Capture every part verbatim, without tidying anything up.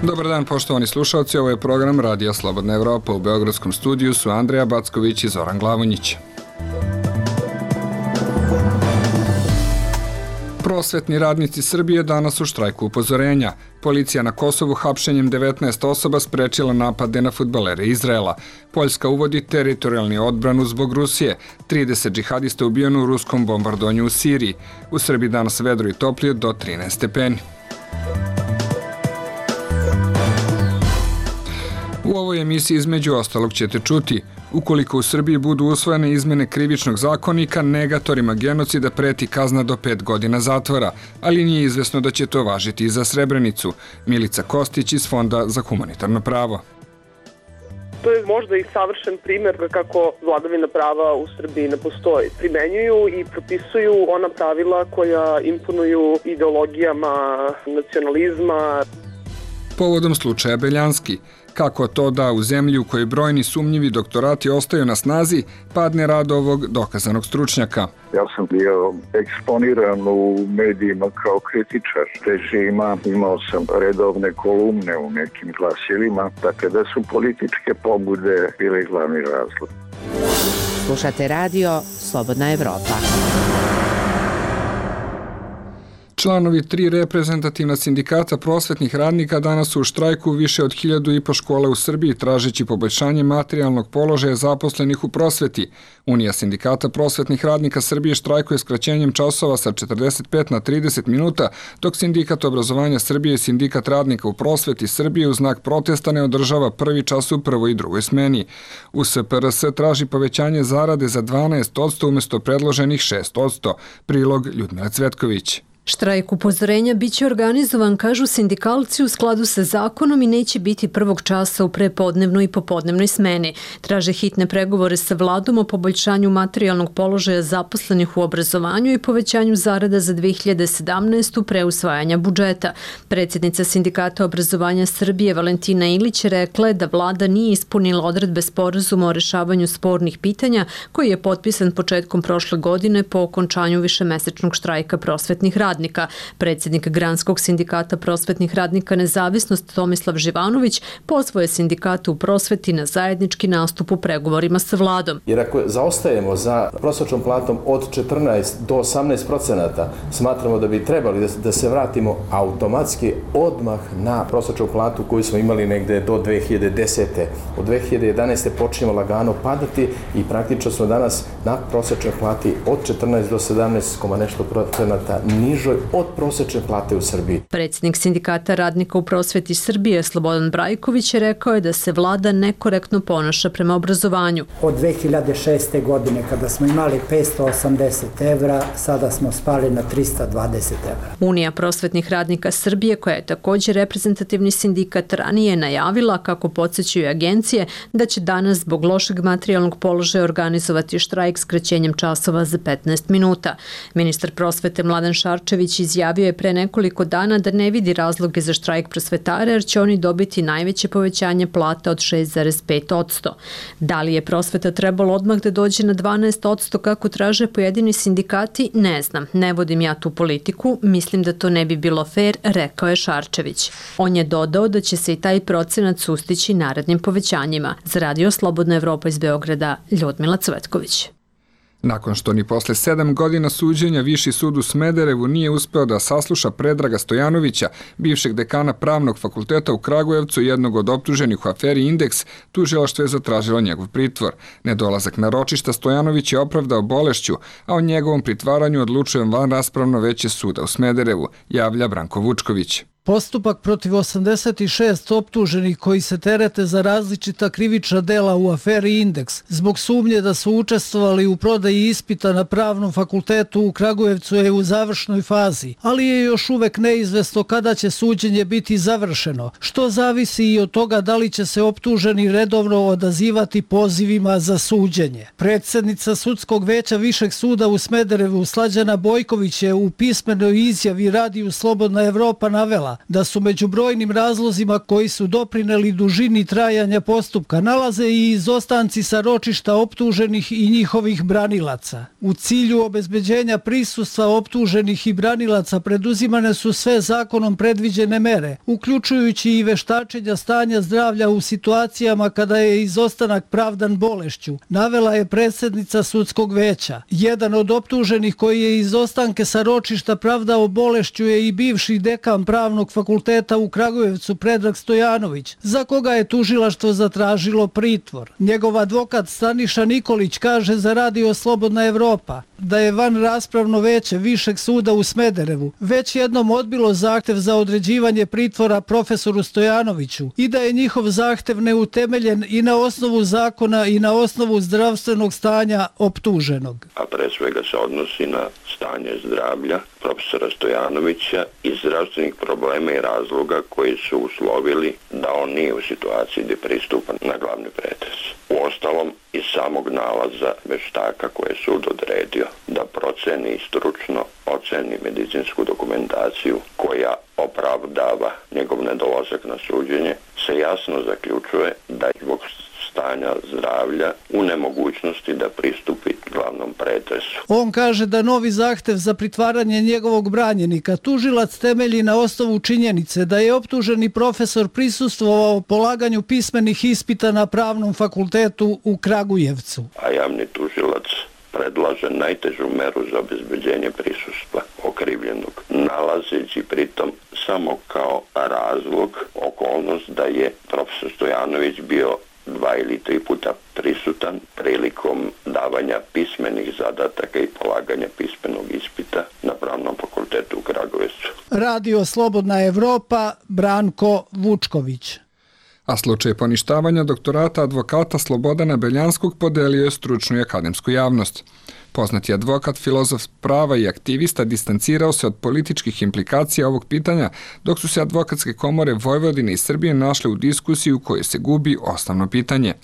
Dobar dan, poštovani slušalci, ovo je program Radija Slobodna Evropa. U beogradskom studiju su Andreja Backović i Zoran Glavonjić. Prosvetni radnici Srbije danas u štrajku upozorenja. Policija na Kosovu hapšenjem devetnaest osoba sprečila napade na fudbalere Izraela. Poljska uvodi teritorijalni odbranu zbog Rusije. trideset džihadista ubijeno u ruskom bombardovanju u Siriji. U Srbiji danas vedro i toplije do trinaest stepeni. U ovoj emisiji između ostalog ćete čuti: ukoliko u Srbiji budu usvojene izmene krivičnog zakonika, negatorima genocida preti kazna do pet godina zatvora, ali nije izvesno da će to važiti i za Srebrenicu. Milica Kostić iz Fonda za humanitarno pravo. To je možda i savršen primjer kako vladavina prava u Srbiji ne postoji. Primenjuju i propisuju ona pravila koja imponuju ideologijama nacionalizma. Povodom slučaja Beljanski, kako to da u zemlji u kojoj brojni sumnjivi doktorati ostaju na snazi, padne rad ovog dokazanog stručnjaka. Ja sam bio eksponiran u medijima kao kritičar režima, imao sam redovne kolumne u nekim glasilima, dakle da su političke pobude bile glavni razlog. Slušate radio Slobodna Evropa. Članovi tri reprezentativna sindikata prosvetnih radnika danas su u štrajku više od hiljadu i po škola u Srbiji tražeći poboljšanje materijalnog položaja zaposlenih u prosveti. Unija sindikata prosvetnih radnika Srbije štrajkuje skraćenjem časova sa četrdeset pet na trideset minuta, dok Sindikat obrazovanja Srbije i Sindikat radnika u prosveti Srbije u znak protesta ne održava prvi čas u prvoj i drugoj smeni. U S P R S traži povećanje zarade za dvanaest posto umjesto predloženih šest posto. Prilog Ljudmila Cvetković. Štrajk upozorenja biće organizovan, kažu sindikalci, u skladu sa zakonom i neće biti prvog časa u prepodnevnoj i popodnevnoj smeni. Traže hitne pregovore sa vladom o poboljšanju materijalnog položaja zaposlenih u obrazovanju i povećanju zarada za dve hiljade sedamnaestu pre usvajanja budžeta. Predsjednica Sindikata obrazovanja Srbije Valentina Ilić rekla je da vlada nije ispunila odredbe sporazuma o rešavanju spornih pitanja koji je potpisan početkom prošle godine po okončanju višemesečnog štrajka prosvetnih radnika. Predsjednik Granskog sindikata prosvetnih radnika Nezavisnost Tomislav Živanović pozvao je sindikatu u prosveti na zajednički nastup u pregovorima sa vladom. Jer ako zaostajemo za prosječnom platom od četrnaest do osamnaest procenata, smatramo da bi trebali da, da se vratimo automatski odmah na prosječnu platu koju smo imali negde do dve hiljade desete. Od dve hiljade jedanaeste počinjemo lagano padati i praktično smo danas na prosječnoj plati od četrnaest do sedamnaest koma nešto procenata nižoj od prosječne plate u Srbiji. Predsjednik Sindikata radnika u prosveti Srbije Slobodan Brajković je rekao je da se vlada nekorektno ponaša prema obrazovanju. Od dve hiljade šeste. godine kada smo imali petsto osamdeset evra, sada smo spali na trista dvadeset evra. Unija prosvetnih radnika Srbije, koja je također reprezentativni sindikat, ranije je najavila, kako podsjećaju agencije, da će danas zbog lošeg materijalnog položaja organizovati štrajk skraćenjem časova za petnaest minuta. Ministar prosvete Mladen Šarčević izjavio je pre nekoliko dana da ne vidi razloge za štrajk prosvetara jer će oni dobiti najveće povećanje plata od šest zarez pet posto. Da li je prosveta trebalo odmah da dođe na dvanaest posto kako traže pojedini sindikati, ne znam. Ne vodim ja tu politiku, mislim da to ne bi bilo fair, rekao je Šarčević. On je dodao da će se i taj procenat sustići narednim povećanjima. Za Radio Slobodna Evropa iz Beograda, Ljudmila Cvetković. Nakon što ni posle sedam godina suđenja Viši sud u Smederevu nije uspeo da sasluša Predraga Stojanovića, bivšeg dekana Pravnog fakulteta u Kragujevcu, jednog od optuženih u aferi Indeks, tužilaštvo je zatražilo njegov pritvor. Nedolazak na ročišta Stojanović je opravdao bolešću, a o njegovom pritvaranju odlučuje vanraspravno veće suda u Smederevu, javlja Branko Vučković. Postupak protiv osamdeset šest optuženih koji se terete za različita krivična dela u aferi Indeks zbog sumnje da su učestvovali u prodaji ispita na Pravnom fakultetu u Kragujevcu je u završnoj fazi, ali je još uvek neizvesno kada će suđenje biti završeno, što zavisi i od toga da li će se optuženi redovno odazivati pozivima za suđenje. Predsjednica Sudskog veća Višeg suda u Smederevu Slađana Bojković je u pismenoj izjavi Radiju Slobodna Evropa navela dela, da su među brojnim razlozima koji su doprineli dužini trajanja postupka nalaze i izostanci sa ročišta optuženih i njihovih branilaca. U cilju obezbeđenja prisustva optuženih i branilaca preduzimane su sve zakonom predviđene mere, uključujući i veštačenja stanja zdravlja u situacijama kada je izostanak pravdan bolešću, navela je predsjednica sudskog veća. Jedan od optuženih koji je izostanke sa ročišta pravdao bolešću je i bivši dekan Pravnog fakulteta u Kragujevcu Predrag Stojanović, za koga je tužilaštvo zatražilo pritvor. Njegov advokat Staniša Nikolić kaže za Radio Slobodna Evropa da je van raspravno veće Višeg suda u Smederevu već jednom odbilo zahtev za određivanje pritvora profesoru Stojanoviću i da je njihov zahtev neutemeljen i na osnovu zakona i na osnovu zdravstvenog stanja optuženog. A pre svega se odnosi na stanje zdravlja profesora Stojanovića i zdravstvenih problema i razloga koji su uslovili da on nije u situaciji gdje pristupa na glavni pretres. Uostalom, iz samog nalaza veštaka koje je sud odredio da proceni i stručno oceni medicinsku dokumentaciju koja opravdava njegov nedolazak na suđenje, se jasno zaključuje da je zbog stanja zdravlja u nemogućnosti da pristupi glavnom pretresu. On kaže da novi zahtev za pritvaranje njegovog branjenika tužilac temelji na osnovu činjenice da je optuženi profesor prisustvovao polaganju pismenih ispita na Pravnom fakultetu u Kragujevcu. A javni tužilac predlaže najtežu meru za obezbeđenje prisustva okrivljenog, nalazeći pritom samo kao razlog okolnost da je profesor Stojanović bio dva ili tri puta prisutan prilikom davanja pismenih zadataka i polaganja pismenog ispita na Pravnom fakultetu u Kragujevcu. Radio Slobodna Evropa, Branko Vučković. A slučaj poništavanja doktorata advokata Slobodana Beljanskog podelio je stručnu i akademsku javnost. Poznati advokat, filozof prava i aktivista distancirao se od političkih implikacija ovog pitanja, dok su se advokatske komore Vojvodine i Srbije našle u diskusiji u kojoj se gubi osnovno pitanje.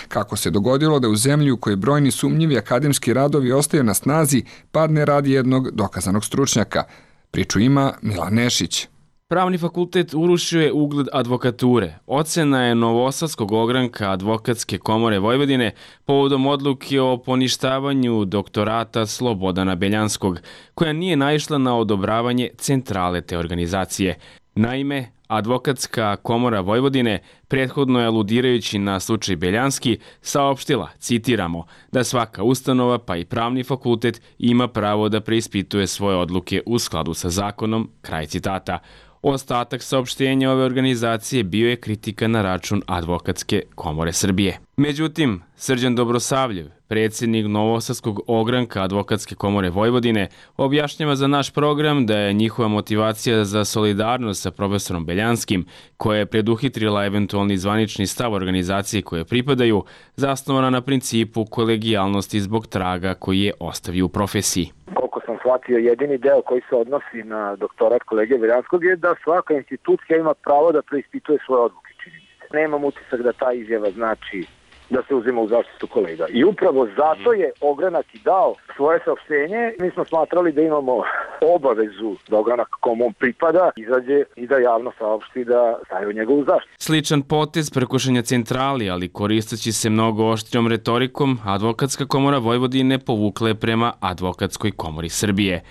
Kako se dogodilo da u zemlji u kojoj brojni sumnjivi akademski radovi ostaju na snazi, padne rad jednog dokazanog stručnjaka? Priču ima Milan Nešić. Pravni fakultet urušio je ugled advokature. Ocena je Novosadskog ogranka Advokatske komore Vojvodine povodom odluke o poništavanju doktorata Slobodana Beljanskog, koja nije naišla na odobravanje centrale te organizacije. Naime, Advokatska komora Vojvodine, prethodno je aludirajući na slučaj Beljanski, saopštila, citiramo, da svaka ustanova pa i pravni fakultet ima pravo da preispituje svoje odluke u skladu sa zakonom, kraj citata. Ostatak saopštenja ove organizacije bio je kritika na račun Advokatske komore Srbije. Međutim, Srđan Dobrosavljev, predsjednik Novosadskog ogranka Advokatske komore Vojvodine, objašnjava za naš program da je njihova motivacija za solidarnost sa profesorom Beljanskim, koja je preduhitrila eventualni zvanični stav organizacije koje pripadaju, zasnovana na principu kolegijalnosti zbog traga koji je ostavio u profesiji. Koliko sam shvatio, jedini deo koji se odnosi na doktorat kolege Beljanskog je da svaka institucija ima pravo da preispituje svoje odluke, čini mi se. Nemam utisak da ta izjava znači da se uzima u zaštitu kolega. I upravo zato je ogranak i dao svoje saopštenje. Mi smo smatrali da imamo obavezu da ogranak komu on pripada izađe i da javno saopšti da staje u njegovu zaštitu. Sličan potez prekušenja centrali, ali koristeći se mnogo oštrijom retorikom, Advokatska komora Vojvodine povukla je prema Advokatskoj komori Srbije.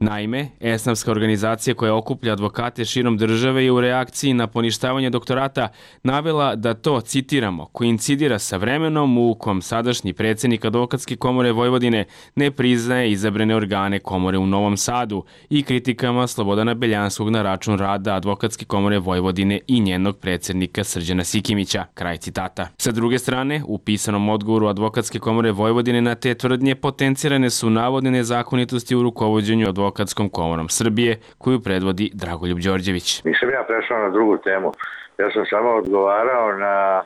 Naime, esnafska organizacija koja okuplja advokate širom države je u reakciji na poništavanje doktorata navela da to, citiramo, koincidira sa vremenom u kom sadašnji predsjednik Advokatske komore Vojvodine ne priznaje izabrane organe komore u Novom Sadu i kritikama Slobodana Beljanskog na račun rada Advokatske komore Vojvodine i njenog predsjednika Srđana Sikimića, kraj citata. Sa druge strane, u pisanom odgovoru Advokatske komore Vojvodine na te tvrdnje potencirane su navodne nezakonitosti u rukovođenju Advokatske Advokatskom komorom Srbije, koju predvodi Dragoljub Đorđević. Nisam ja prešao na drugu temu. Ja sam samo odgovarao na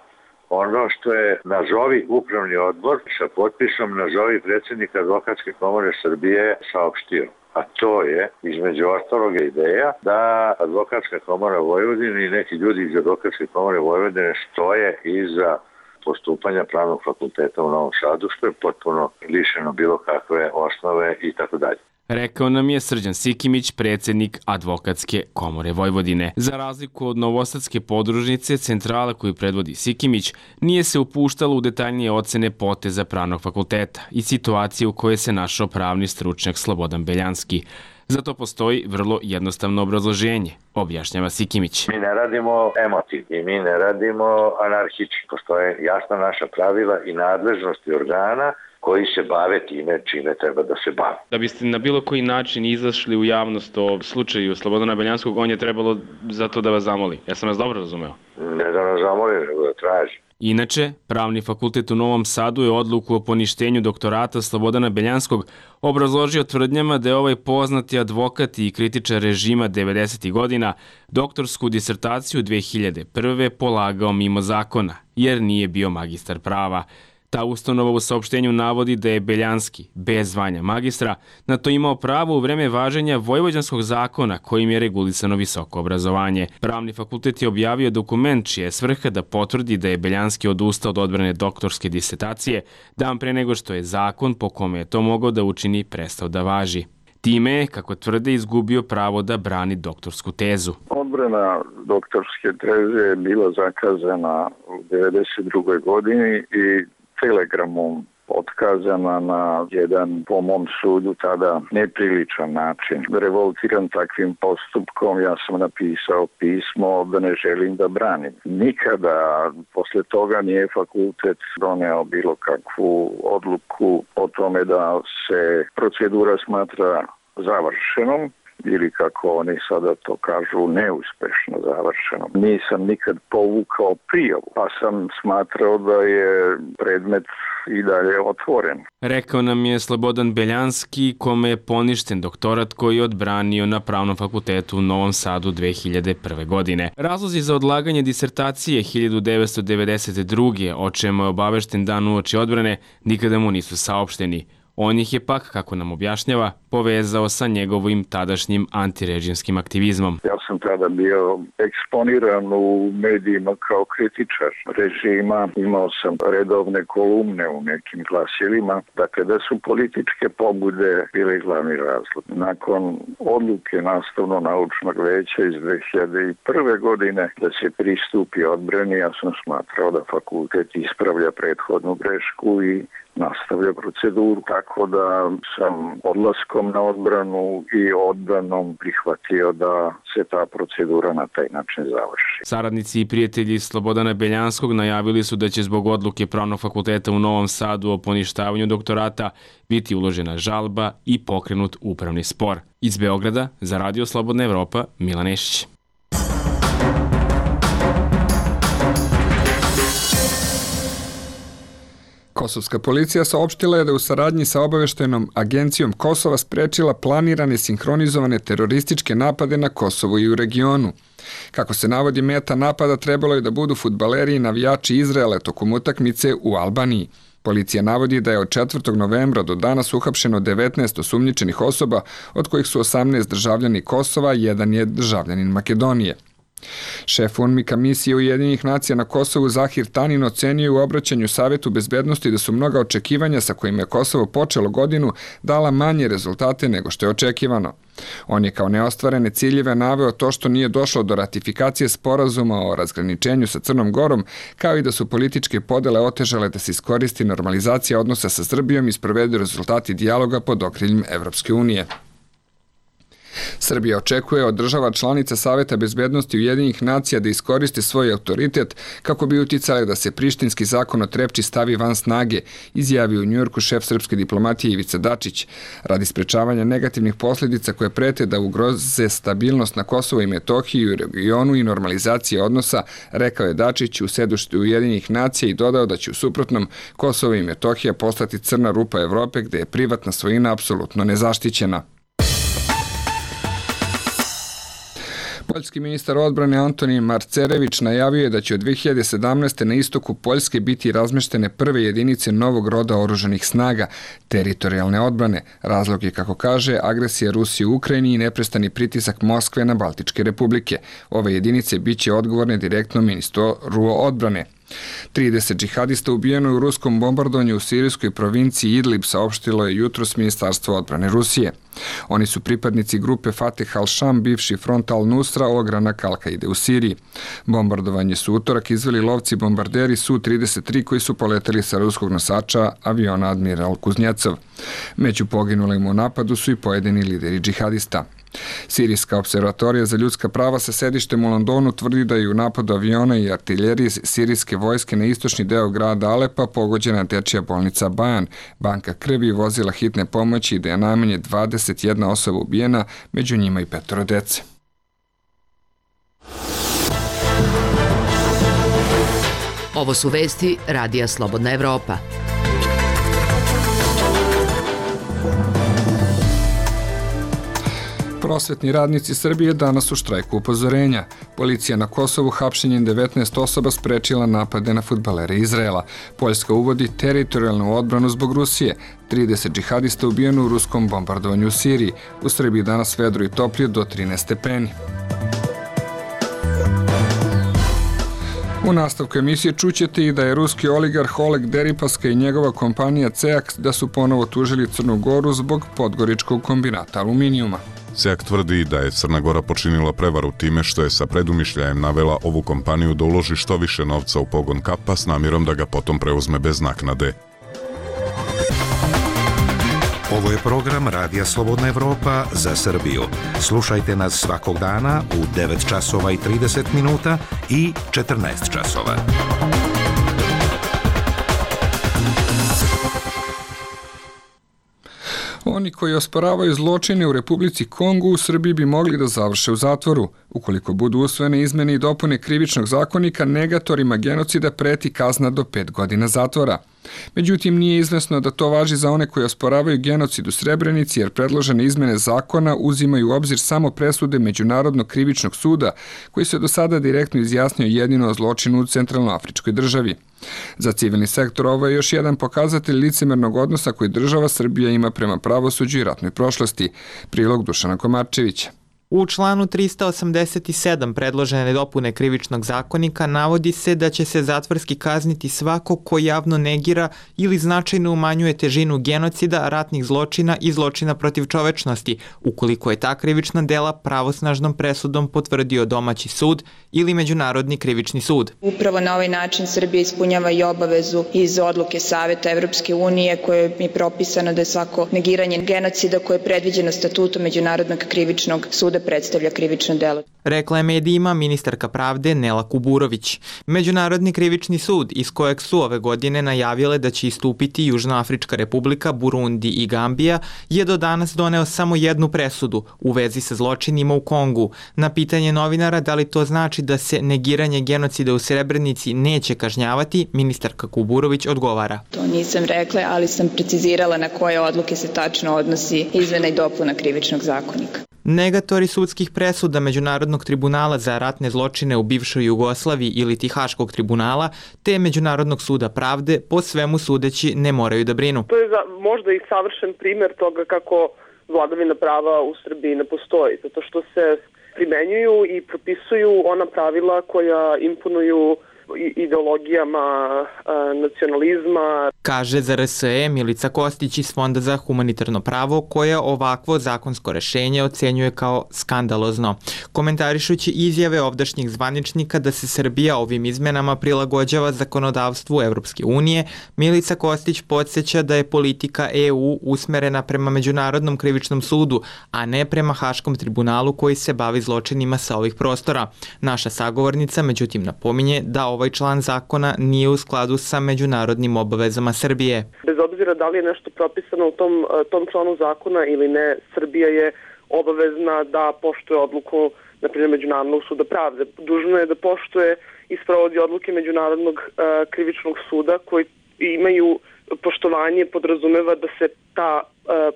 ono što je nazovi upravni odbor sa potpisom nazovi predsjednika Advokatske komore Srbije saopštio. A to je, između ostalog, ideja da Advokatska komora Vojvodine i neki ljudi iz Advokatske komore Vojvodine stoje iza postupanja Pravnog fakulteta u Novom Sadu, što je potpuno lišeno bilo kakve osnove i tako dalje. Rekao nam je Srđan Sikimić, predsjednik Advokatske komore Vojvodine. Za razliku od novosadske podružnice, centrala koju predvodi Sikimić nije se upuštalo u detaljnije ocene poteza pravnog fakulteta i situacije u kojoj se našao pravni stručnjak Slobodan Beljanski. Zato postoji vrlo jednostavno obrazloženje, objašnjava Sikimić. Mi ne radimo emotiv i mi ne radimo anarhički. Postoje jasna naša pravila i nadležnosti organa koji se bave time čime treba da se bave. Da biste na bilo koji način izašli u javnost o slučaju Slobodana Beljanskog, on je trebalo zato da vas zamoli. Ja sam vas dobro razumeo? Ne da nas zamoli, nego da traži. Inače, Pravni fakultet u Novom Sadu je odluku o poništenju doktorata Slobodana Beljanskog obrazložio tvrdnjama da je ovaj poznati advokat i kritičar režima devedesetih godina doktorsku disertaciju dve hiljade prve. polagao mimo zakona, jer nije bio magistar prava. Ta ustanova u saopštenju navodi da je Beljanski, bez zvanja magistra, na to imao pravo u vreme važenja Vojvođanskog zakona kojim je regulisano visoko obrazovanje. Pravni fakultet je objavio dokument čija je svrha da potvrdi da je Beljanski odustao od odbrane doktorske disertacije dan pre nego što je zakon po kome je to mogao da učini prestao da važi. Time je, kako tvrde, izgubio pravo da brani doktorsku tezu. Odbrana doktorske teze je bila zakazana u devedeset drugoj godini i telegramom otkazana na jedan, po mom sudu, tada nepriličan način. Revoltiran takvim postupkom, ja sam napisao pismo da ne želim da branim. Nikada posle toga nije fakultet doneo bilo kakvu odluku o tome da se procedura smatra završenom ili, kako oni sada to kažu, neuspešno završeno. Nisam nikad povukao prijavu, pa sam smatrao da je predmet i dalje otvoren. Rekao nam je Slobodan Beljanski, kome je poništen doktorat koji je odbranio na Pravnom fakultetu u Novom Sadu dve hiljade prve. godine. Razlozi za odlaganje disertacije hiljadu devetsto devedeset druge. o čemu je obavešten dan uoči odbrane, nikada mu nisu saopšteni. On ih je pak, kako nam objašnjava, povezao sa njegovim tadašnjim antirežimskim aktivizmom. Ja sam tada bio eksponiran u medijima kao kritičar režima. Imao sam redovne kolumne u nekim glasilima. Dakle, da su političke pobude bile glavni razlog. Nakon odluke Nastavno-naučnog veća iz dve hiljade prve. godine da se pristupi odbrani, ja sam smatrao da fakultet ispravlja prethodnu grešku i nastavlja proceduru, tako da sam odlaskom na odbranu i odbranom prihvatio da se ta procedura na taj način završi. Saradnici i prijatelji Slobodana Beljanskog najavili su da će zbog odluke Pravnog fakulteta u Novom Sadu o poništavanju doktorata biti uložena žalba i pokrenut upravni spor. Iz Beograda, za Radio Slobodna Evropa, Milan Nešić. Kosovska policija saopštila je da u saradnji sa obaveštajnom agencijom Kosova sprečila planirane sinhronizovane terorističke napade na Kosovu i u regionu. Kako se navodi, meta napada trebalo je da budu fudbaleri i navijači Izraela tokom utakmice u Albaniji. Policija navodi da je od četvrtog novembra do danas uhapšeno devetnaest osumnjičenih osoba, od kojih su osamnaest državljani Kosova, jedan je državljanin Makedonije. Šef U N M I K-a misije Ujedinjenih nacija na Kosovu Zahir Tanin ocenio u obraćanju Savetu bezbednosti da su mnoga očekivanja sa kojima je Kosovo počelo godinu dala manje rezultate nego što je očekivano. On je kao neostvarene ciljeve naveo to što nije došlo do ratifikacije sporazuma o razgraničenju sa Crnom Gorom, kao i da su političke podele otežale da se iskoristi normalizacija odnosa sa Srbijom i sprovedu rezultati dijaloga pod okriljem Evropske unije. Srbija očekuje od država članica Saveta bezbednosti Ujedinjenih nacija da iskoriste svoj autoritet kako bi uticali da se prištinski zakon o Trepči stavi van snage, izjavio u Njujorku šef srpske diplomatije Ivica Dačić. Radi sprečavanja negativnih posljedica koje prete da ugroze stabilnost na Kosovu i Metohiji i u regionu i normalizacije odnosa, rekao je Dačić u sedištu Ujedinjenih nacija i dodao da će u suprotnom Kosovo i Metohija postati crna rupa Evrope gde je privatna svojina apsolutno nezaštićena. Poljski ministar odbrane Antonij Marcerević najavio je da će od dve hiljade sedamnaeste. na istoku Poljske biti razmeštene prve jedinice novog roda oružanih snaga, teritorijalne odbrane. Razlog je, kako kaže, agresija Rusije u Ukrajini i neprestani pritisak Moskve na Baltičke republike. Ove jedinice biće odgovorne direktno ministru odbrane. trideset džihadista ubijeno je u ruskom bombardovanju u sirijskoj provinciji Idlib, saopštilo je jutros Ministarstvo odbrane Rusije. Oni su pripadnici grupe Fateh al-Sham, bivši front al-Nusra, ogranak Al-Kaide u Siriji. Bombardovanje su utorak izveli lovci bombarderi S U trideset tri koji su poleteli sa ruskog nosača aviona Admiral Kuznjecov. Među poginulim u napadu su i pojedini lideri džihadista. Sirijska observatorija za ljudska prava sa sedištem u Londonu tvrdi da je u napadu aviona i artiljerije sirijske vojske na istočni deo grada Alepa pogođena dečija bolnica Bajan, banka krvi i vozila hitne pomoći i da je najmanje dvadeset jedna osoba ubijena, među njima i petoro dece. Ovo su vesti Radija Slobodna Evropa. Prosvetni radnici Srbije danas u štrajku upozorenja. Policija na Kosovu hapšenjem devetnaest osoba sprečila napade na fudbalere Izraela. Poljska uvodi teritorijalnu odbranu zbog Rusije. trideset džihadista ubijeno u ruskom bombardovanju u Siriji. U Srbiji danas vedro i toplije do trinaest stepeni. U nastavku emisije čućete i da je ruski oligarh Oleg Deripaska i njegova kompanija CEAK da su ponovo tužili Crnu Goru zbog podgoričkog kombinata aluminijuma. CEAK tvrdi da je Crna Gora počinila prevaru time što je sa predumišljajem navela ovu kompaniju da uloži što više novca u pogon kapa s namjerom da ga potom preuzme bez naknade. Ovo je program Radija Slobodna Evropa za Srbiju. Slušajte nas svakog dana u devet časova i trideset minuta i četrnaest časova. Oni koji osporavaju zločine u Republici Kongu u Srbiji bi mogli da završe u zatvoru. Ukoliko budu usvojene izmene i dopune krivičnog zakonika, negatorima genocida preti kazna do pet godina zatvora. Međutim, nije izvesno da to važi za one koji osporavaju genocid u Srebrenici, jer predložene izmene zakona uzimaju u obzir samo presude Međunarodnog krivičnog suda, koji se do sada direktno izjasnio jedino o zločinu u Centralnoafričkoj državi. Za civilni sektor ovo je još jedan pokazatelj licemernog odnosa koji država Srbija ima prema pravosuđu i ratnoj prošlosti. Prilog Dušana Komarčevića. U članu trista osamdeset sedam predložene dopune krivičnog zakonika navodi se da će se zatvorski kazniti svako ko javno negira ili značajno umanjuje težinu genocida, ratnih zločina i zločina protiv čovečnosti, ukoliko je ta krivična dela pravosnažnom presudom potvrdio domaći sud ili Međunarodni krivični sud. Upravo na ovaj način Srbija ispunjava i obavezu iz odluke Saveta Evropske unije koje je propisano da je svako negiranje genocida koje je predviđeno statutom Međunarodnog krivičnog suda predstavlja krivično delo. Rekla je medijima ministarka pravde Nela Kuburović. Međunarodni krivični sud, iz kojeg su ove godine najavile da će istupiti Južnoafrička republika, Burundi i Gambija, je do danas doneo samo jednu presudu u vezi sa zločinima u Kongu. Na pitanje novinara da li to znači da se negiranje genocida u Srebrenici neće kažnjavati, ministarka Kuburović odgovara. To nisam rekla, ali sam precizirala na koje odluke se tačno odnosi izmena i dopuna krivičnog zakonika. Negatori sudskih presuda Međunarodnog tribunala za ratne zločine u bivšoj Jugoslaviji ili Haškog tribunala te Međunarodnog suda pravde po svemu sudeći ne moraju da brinu. To je za, možda i savršen primjer toga kako vladavina prava u Srbiji ne postoji, zato što se primenjuju i propisuju ona pravila koja imponuju ideologijama nacionalizma. Kaže za R S E Milica Kostić iz Fonda za humanitarno pravo, koja ovakvo zakonsko rešenje ocenjuje kao skandalozno. Komentarišući izjave ovdašnjih zvaničnika da se Srbija ovim izmenama prilagođava zakonodavstvu Evropske unije, Milica Kostić podsjeća da je politika E U usmerena prema Međunarodnom krivičnom sudu, a ne prema Haškom tribunalu koji se bavi zločinima sa ovih prostora. Naša sagovornica međutim napominje da ovaj član zakona nije u skladu sa međunarodnim obavezama Srbije. Bez obzira da li je nešto propisano u tom, tom članu zakona ili ne, Srbija je obavezna da poštuje odluku, na primjer, Međunarodnog suda pravde. Dužno je da poštuje i sprovodi odluke Međunarodnog uh, krivičnog suda koji imaju poštovanje, podrazumeva da se ta uh,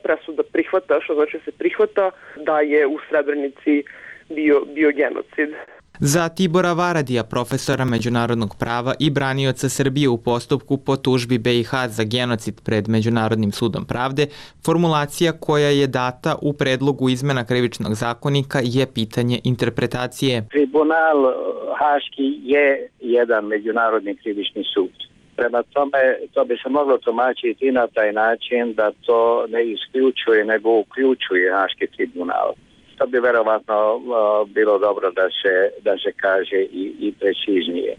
presuda prihvata, što znači se prihvata da je u Srebrenici bio, bio genocid. Za Tibora Varadija, profesora međunarodnog prava i branioca Srbije u postupku po tužbi B i H za genocid pred Međunarodnim sudom pravde, formulacija koja je data u predlogu izmena krivičnog zakonika je pitanje interpretacije. Tribunal Haški je jedan međunarodni krivični sud. Prema tome, to bi se moglo tumačiti na taj način da to ne isključuje, nego uključuje Haški tribunal. To bi verovatno uh, bilo dobro da se, da se kaže i, i preciznije.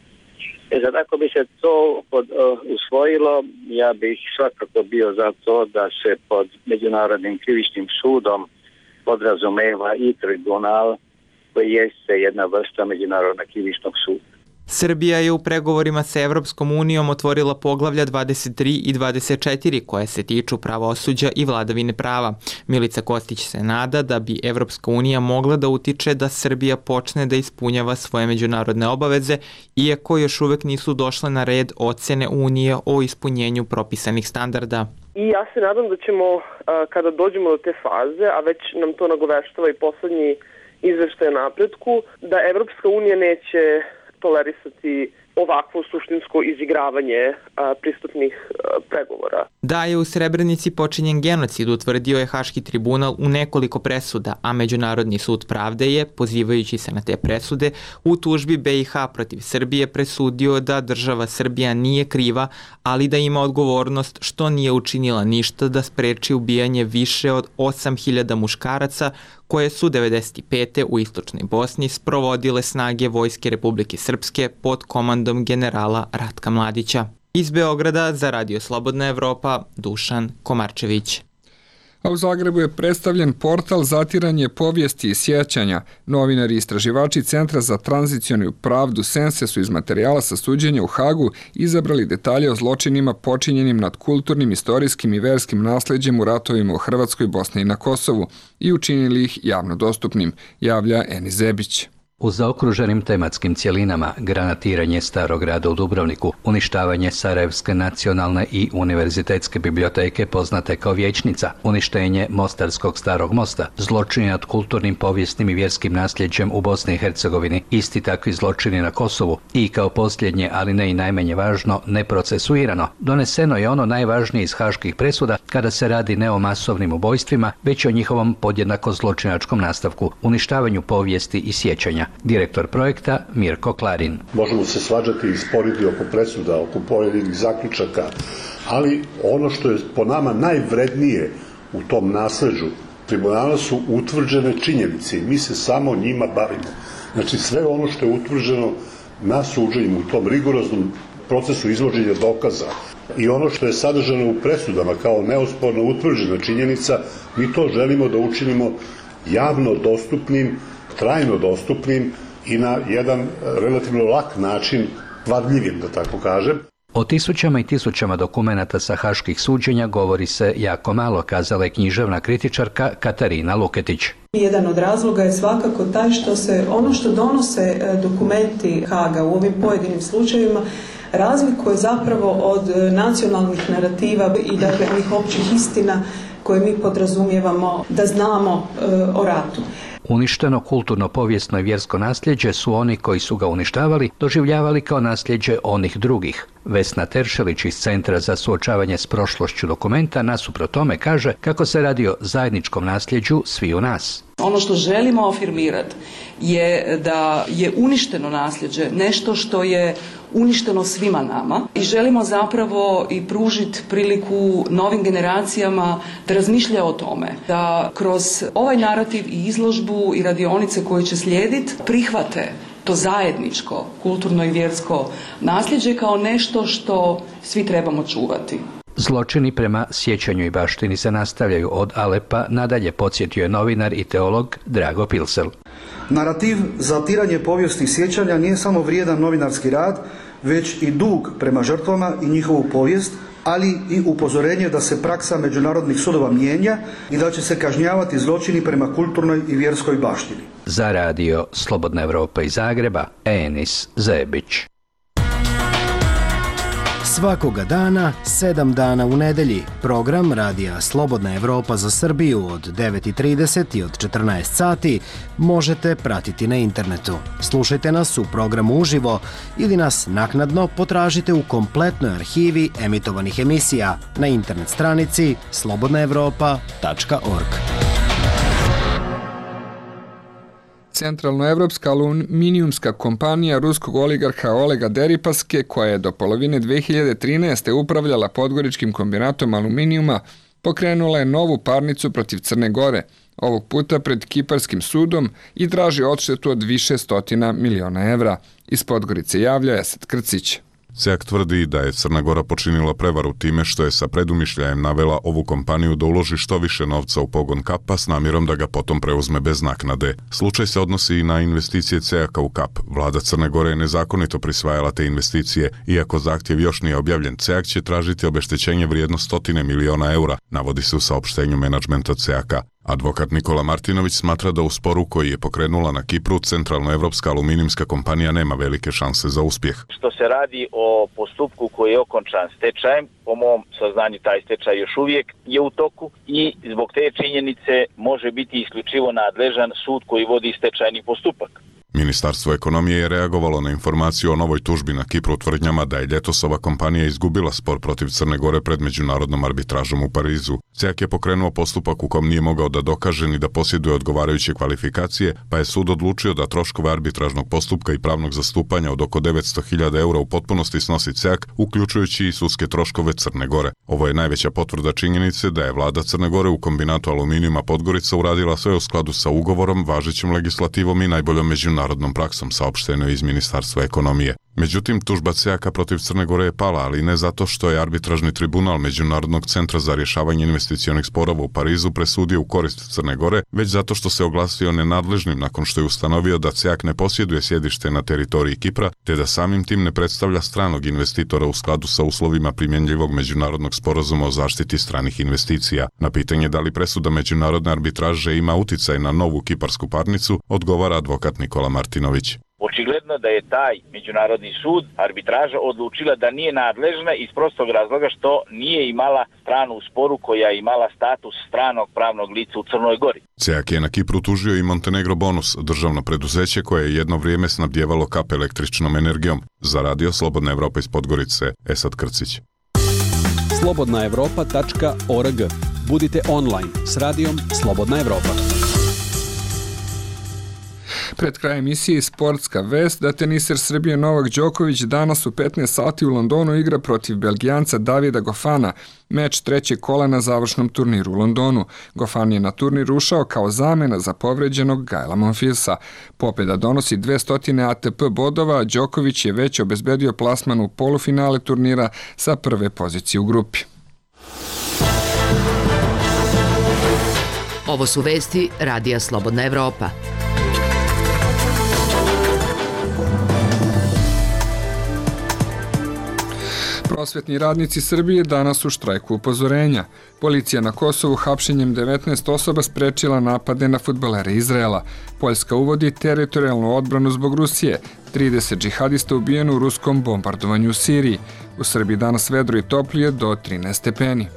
E sad, ako bi se to pod, uh, usvojilo, ja bih svakako bio za to da se pod Međunarodnim krivičnim sudom podrazumeva i tribunal koji jeste jedna vrsta Međunarodnog krivičnog suda. Srbija je u pregovorima sa Evropskom unijom otvorila poglavlja dvadeset tri i dvadeset četiri koje se tiču pravosuđa i vladavine prava. Milica Kostić se nada da bi Evropska unija mogla da utiče da Srbija počne da ispunjava svoje međunarodne obaveze, iako još uvek nisu došle na red ocene Unije o ispunjenju propisanih standarda. I ja se nadam da ćemo, kada dođemo do te faze, a već nam to nagoveštava i poslednji izveštaj o napretku, da Evropska unija neće tolerisati ovakvo suštinsko izigravanje a, pristupnih a, pregovora. Da je u Srebrenici počinjen genocid, utvrdio je Haški tribunal u nekoliko presuda, a Međunarodni sud pravde je, pozivajući se na te presude, u tužbi B i H protiv Srbije presudio da država Srbija nije kriva, ali da ima odgovornost što nije učinila ništa da spreči ubijanje više od osam hiljada muškaraca koje su devedeset pete u istočnoj Bosni sprovodile snage Vojske Republike Srpske pod komandom generala Ratka Mladića. Iz Beograda za Radio Slobodna Evropa, Dušan Komarčević. A u Zagrebu je predstavljen portal Zatiranje povijesti i sjećanja. Novinari i istraživači Centra za tranzicionu pravdu Sense su iz materijala sa suđenja u Hagu izabrali detalje o zločinima počinjenim nad kulturnim, istorijskim i verskim nasleđem u ratovima u Hrvatskoj, Bosni i na Kosovu i učinili ih javno dostupnim, javlja Eni Zebić. U zaokruženim tematskim cjelinama granatiranje Starog grada u Dubrovniku, uništavanje Sarajevske nacionalne i univerzitetske biblioteke poznate kao Vijećnica, uništenje Mostarskog Starog mosta, zločini nad kulturnim, povijesnim i vjerskim nasljeđem u Bosni i Hercegovini, isti takvi zločini na Kosovu i kao posljednje, ali ne i najmanje važno, neprocesuirano. Doneseno je ono najvažnije iz haških presuda kada se radi ne o masovnim ubojstvima, već o njihovom podjednako zločinačkom nastavku, uništavanju povijesti i sjećanja. Direktor projekta Mirko Klarin. Možemo se svađati i sporiti oko presuda, oko pojedinih zaključaka, ali ono što je po nama najvrednije u tom nasleđu tribunala su utvrđene činjenice i mi se samo njima bavimo. Znači sve ono što je utvrđeno na suđenju u tom rigoroznom procesu izvođenja dokaza i ono što je sadržano u presudama kao neosporno utvrđena činjenica, mi to želimo da učinimo javno dostupnim, trajno dostupnim i na jedan relativno lak način, vadljivim da tako kažem. O tisućama i tisućama dokumenata sa haških suđenja govori se jako malo, kazala je književna kritičarka Katarina Luketić. Jedan od razloga je svakako taj što se ono što donose dokumenti Haga u ovim pojedinim slučajevima razlikuje zapravo od nacionalnih narativa i dakle onih općih istina koje mi podrazumijevamo da znamo e, o ratu. Uništeno kulturno, povijesno i vjersko nasljeđe su oni koji su ga uništavali doživljavali kao nasljeđe onih drugih. Vesna Teršelić iz Centra za suočavanje s prošlošću dokumenta nasuprot tome kaže kako se radi o zajedničkom nasljeđu sviju nas. Ono što želimo afirmirati je da je uništeno nasljeđe nešto što je uništeno svima nama i želimo zapravo i pružiti priliku novim generacijama da razmišljaju o tome, da kroz ovaj narativ i izložbu i radionice koje će slijediti prihvate to zajedničko kulturno i vjersko nasljeđe kao nešto što svi trebamo čuvati. Zločini prema sjećanju i baštini se nastavljaju od Alepa nadalje, podsjetio je novinar i teolog Drago Pilsel. Narativ zatiranje povijesnih sjećanja nije samo vrijedan novinarski rad, već i dug prema žrtvama i njihovu povijest, ali i upozorenje da se praksa međunarodnih sudova mijenja i da će se kažnjavati zločini prema kulturnoj i vjerskoj baštini. Za Radio Slobodna Evropa iz Zagreba, Enis Zebić. Svakoga dana, sedam dana u nedelji, program Radija Slobodna Evropa za Srbiju od devet i trideset i od četrnaest sati možete pratiti na internetu. Slušajte nas u programu uživo ili nas naknadno potražite u kompletnoj arhivi emitovanih emisija na internet stranici slobodna evropa tačka org. Centralnoevropska aluminijumska kompanija ruskog oligarha Olega Deripaske, koja je do polovine dve hiljade trinaeste. upravljala Podgoričkim kombinatom aluminijuma, pokrenula je novu parnicu protiv Crne Gore, ovog puta pred Kiparskim sudom, i traži odštetu od više stotina miliona evra. Iz Podgorice javlja Esad Krcić. SEAK tvrdi da je Crna Gora počinila prevaru time što je sa predumišljajem navela ovu kompaniju da uloži što više novca u pogon Kapa s namjerom da ga potom preuzme bez naknade. Slučaj se odnosi i na investicije SEAK-a u Kap. Vlada Crne Gore je nezakonito prisvajala te investicije. Iako zahtjev još nije objavljen, SEAK će tražiti obeštećenje vrijedno stotine miliona eura, navodi se u saopštenju menadžmenta SEAK-a. Advokat Nikola Martinović smatra da u sporu koji je pokrenula na Kipru Centralnoevropska aluminijumska kompanija nema velike šanse za uspjeh. Što se radi o postupku koji je okončan stečajem, po mom saznanju taj stečaj još uvijek je u toku i zbog te činjenice može biti isključivo nadležan sud koji vodi stečajni postupak. Ministarstvo ekonomije je reagovalo na informaciju o novoj tužbi na Kipru tvrdnjama da je ljetosova kompanija izgubila spor protiv Crne Gore pred međunarodnom arbitražom u Parizu. SEAK je pokrenuo postupak u kom nije mogao da dokaže ni da posjeduje odgovarajuće kvalifikacije, pa je sud odlučio da troškove arbitražnog postupka i pravnog zastupanja od oko devetsto hiljada eura u potpunosti snosi SEAK, uključujući i sudske troškove Crne Gore. Ovo je najveća potvrda činjenice da je vlada Crne Gore u kombinatu aluminijuma Podgorica uradila sve u skladu sa ugovorom, važećom legislativom i najboljom međunarodnom praksom, saopšteno je iz Ministarstva ekonomije. Međutim, tužba SEAK-a protiv Crne Gore je pala, ali ne zato što je arbitražni tribunal Međunarodnog centra za rješavanje investicionih sporova u Parizu presudio u korist Crne Gore, već zato što se oglasio nenadležnim nakon što je ustanovio da SEAK ne posjeduje sjedište na teritoriji Kipra, te da samim tim ne predstavlja stranog investitora u skladu sa uslovima primjenjivog međunarodnog sporazuma o zaštiti stranih investicija. Na pitanje da li presuda međunarodne arbitraže ima uticaj na novu kiparsku parnicu, odgovara advokat Nikola Martinović. Očigledno da je taj međunarodni sud, arbitraža, odlučila da nije nadležna iz prostog razloga što nije imala stranu u sporu koja je imala status stranog pravnog lica u Crnoj Gori. SEAK je na Kipru tužio i Montenegro Bonus, državno preduzeće koje je jedno vrijeme snabdjevalo Kap električnom energijom. Za Radio Slobodna Evropa iz Podgorice, Esad Krcić. slobodna evropa tačka org. Budite online s radijom Slobodna Evropa. Pred kraj emisije sportska vest da teniser Srbije Novak Đoković danas u petnaest sati u Londonu igra protiv Belgijanca Davida Gofana, meč trećeg kola na završnom turniru u Londonu. Gofan je na turnir ušao kao zamena za povređenog Gaela Monfilsa. Pobjeda donosi dvesta A T P bodova, a Đoković je već obezbedio plasman u polufinale turnira sa prve pozicije u grupi. Ovo su vesti Radija Slobodna Evropa. Prosvetni radnici Srbije danas u štrajku upozorenja. Policija na Kosovu hapšenjem devetnaest osoba sprečila napade na fudbalere Izraela. Poljska uvodi teritorijalnu odbranu zbog Rusije. trideset džihadista ubijeno u ruskom bombardovanju u Siriji. U Srbiji danas vedro i toplije do trinaest stepeni.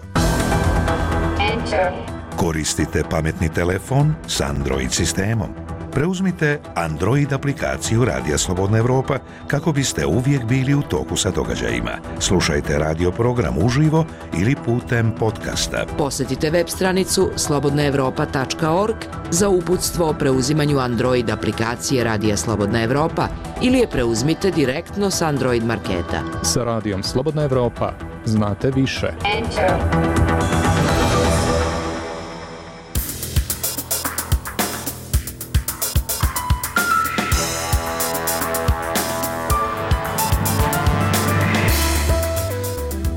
Koristite pametni telefon s Android sistemom. Preuzmite Android aplikaciju Radija Slobodna Evropa kako biste uvijek bili u toku sa događajima. Slušajte radio program uživo ili putem podcasta. Posjetite web stranicu slobodna evropa tačka org za uputstvo o preuzimanju Android aplikacije Radija Slobodna Evropa ili je preuzmite direktno s Android marketa. Sa Radijom Slobodna Evropa znate više. Enter.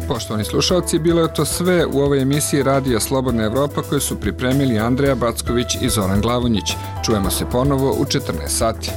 Poštovani slušalci, bilo je to sve u ovoj emisiji Radija Slobodna Evropa koju su pripremili Andreja Backović i Zoran Glavonjić. Čujemo se ponovo u četrnaest sati.